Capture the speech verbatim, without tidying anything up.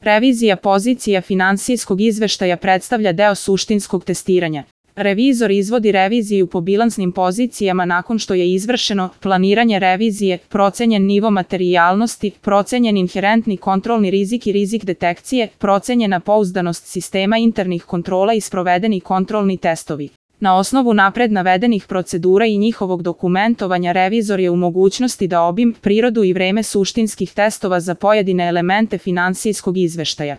Revizija pozicija finansijskog izveštaja predstavlja deo suštinskog testiranja. Revizor izvodi reviziju po bilansnim pozicijama nakon što je izvršeno planiranje revizije, procenjen nivo materijalnosti, procenjen inherentni kontrolni rizik i rizik detekcije, procenjena pouzdanost sistema internih kontrola i sprovedeni kontrolni testovi. Na osnovu napred navedenih procedura i njihovog dokumentovanja revizor je u mogućnosti da obim, prirodu i vreme suštinskih testova za pojedine elemente finansijskog izveštaja.